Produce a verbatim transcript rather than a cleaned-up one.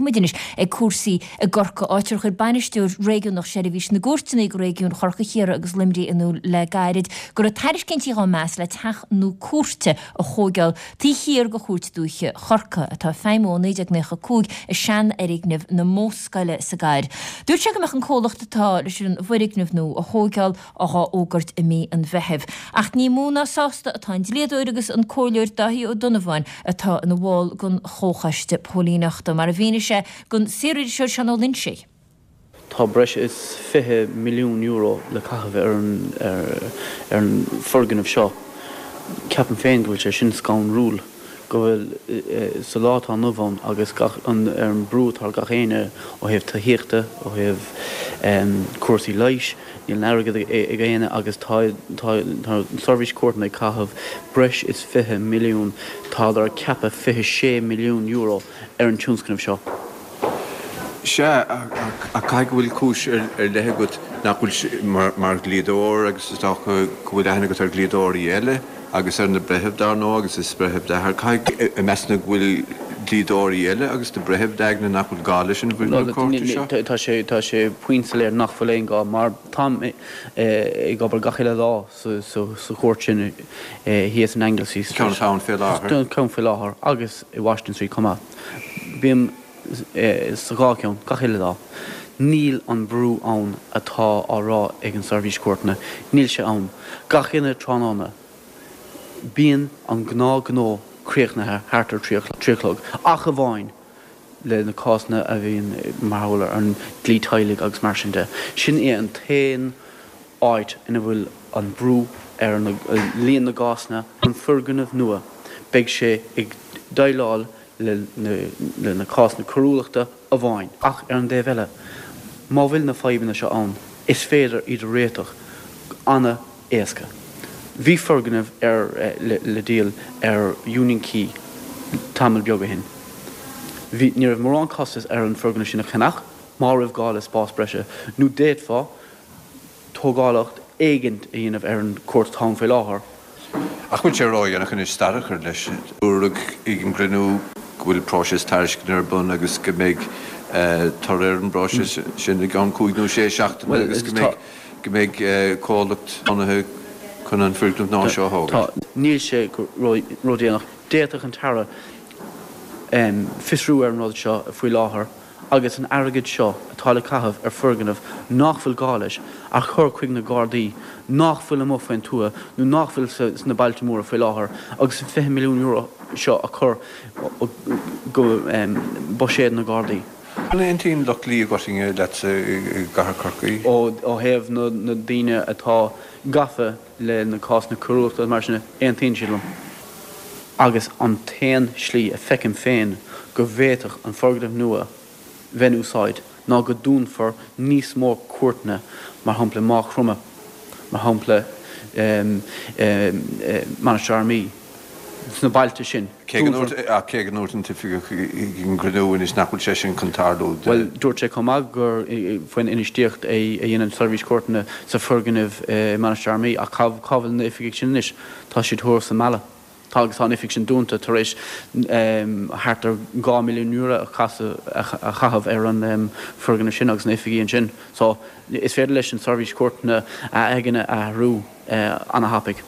muid anois ag cúrsaí i gCorcaigh, áit ar chuir bainisteoir réigiúnach Sheirbhís na gCúirteanna do réigiún Chorcaí, Chiarraí agus Luimnigh in iúl le gairid go raibh tairiscintí á meas le teach nua cúirte a thógáil taobh thiar de Chúirt Dúiche Chorcaí, atá ag feidhmiú ó naoi déag nócha a cúig i seanfhoirgneamh na Modhscoile sa gcathair. Dúirt sé go mbeadh an comhlacht atá leis an bhfoirgneamh nua a thógáil á fhógairt i mí an Mheithimh. Ach ní mó ná sásta atá an dlíodóir agus an comhairleoir Dáithí Ó Donnabháin atá ina bhall den Chomhchoiste Póilíneachta, mar a mhínigh sé don saoririseoir Seán Ó Loinsigh. Tá breis is fiche milliún euro le caitheamh ar an ar an foirgneamh seo. Ceapaim féin go bhfuil sé sin scanrúil, go bhfuil sa lá atá inniu ann agus gach an ar an brú atá ar gach éinne ó thaobh tithíochta, ó thaobh cúrsaí leighis, níl an airgead ag éinne agus tá tá tá an tSeirbhís Cúirteanna ag caitheamh breis is fiche milliún, tádar ag ceapadh fiche sé milliún euro ar an tionscnamh seo. Sea, ach caithfidh go bhfuil cúis ar leith agat nach bhfuil mar dhlíodóir agus is dócha go bhfuil aithne agat ar dhlíodóirí eile agus ar na breithimh dar ndóigh agus is breitheamh d'athair. Caithfidh, meas tú go bhfuil dlíodóirí eile agus na breithimh d'aigne nach bhfuil gá leis an bhfoirgneamh cúirte seo? Tá sé, tá sé puinn soiléir nach bhfuil aon gá mar táim ag obair gach uile lá sa chúirt sin thíos in Anglesey Street. Ceann atá ann fé láthair. Ceann faoi láthair agus i Washington Street chomh maith. Bím sa dhá cheann, gach uile lá. Níl an brú ann atá á rá ag an Seirbhís Cúirteanna. Níl sé ann. Gach uile tráthnóna, bíonn an gnáthghnó críochnaithe thart ar trí a chlog, ach amháin le na cásanna a bhíonn mar gheall ar an dlí teaghlaigh agus mar sin de. Sin é an t-aon áit ina bhfuil an brú ar líon na gcásanna. An foirgneamh nua, beidh sé ag déileáil le na cásanna coiriúlachta amháin. Ach ar an dtaobh eile, má bhfuil na fadhbanna seo ann, is féidir iad a réiteach an-éasca. Bhí foirgneamh ar le díol ar Union Quay tamall beag ó shin. Bhí, ní raibh mórán costas ar an foirgneamh sin a cheannach, má raibh gá le spás breise, nó d'fhéadfá tógálacht éigint a dhéanamh ar an chúirt atá ann faoi láthair. Ach bhfuil sé ródhéanach anois stad a chur leis? Dúradh ag an gcruinniú go bhfuil próiseas tairisceana ar bun agus go mbeidh toradh ar an bpróiseas sin i gceann cúig nó sé seachtaine agus go mbeidh go mbeidh comhlacht roghnaithe chun an foirgneamh nua seo a thógaint. Níl sé ródhéanach. D'fhéadfadh an tAire fiosrú ar an rud seo faoi láthair. agus an airgead seo atá le caitheamh ar foirgneamh nach bhfuil gá leis a chur chuig na Gardaí nach bhfuil amuigh faoin tuath nó nach bhfuil sna bailte móra faoi láthair agus an fiche milliún euro seo a chur go buiséad na Gardaí. An aontaíonn lucht dlí i gcoitinne leatsa i gcathair Chorcaí? Ó thaobh na daoine atá gafa le na cásanna coiriúlachta agus mar sin, aontaíonn siad liom. Agus an t-aon slí a feicim féin go bhféadfadh an foirgneamh nua bheith in úsáid ná go dúnfar níos mó cúirteanna, mar shampla i Maigh Chromtha, mar shampla Mainistir Fhear Maí, sna bailte sin. Cé go ndúirt, ach cé go ndúirt an t-oifigeach ag an gcruinniú anois nach bhfuil sé sin chun tarlú. Bhuel, dúirt sé chomh maith gur faoin infheistíocht a dhein an tSeirbhís Cúirteanna sa foirgneamh i Mainistir Fhear Maí, ach cá bhfuil na oifigigh sin anois? Tá siad thuas sa Mheala. Tá agus tá an oifig sin dúnta tar éis thart ar dhá milliún euro a chaitheamh ar an foirgneamh sin agus na oifigí ansin. So, is féidir leis an tSeirbhís Cúirteanna a aigne a athrú ana-thapaidh.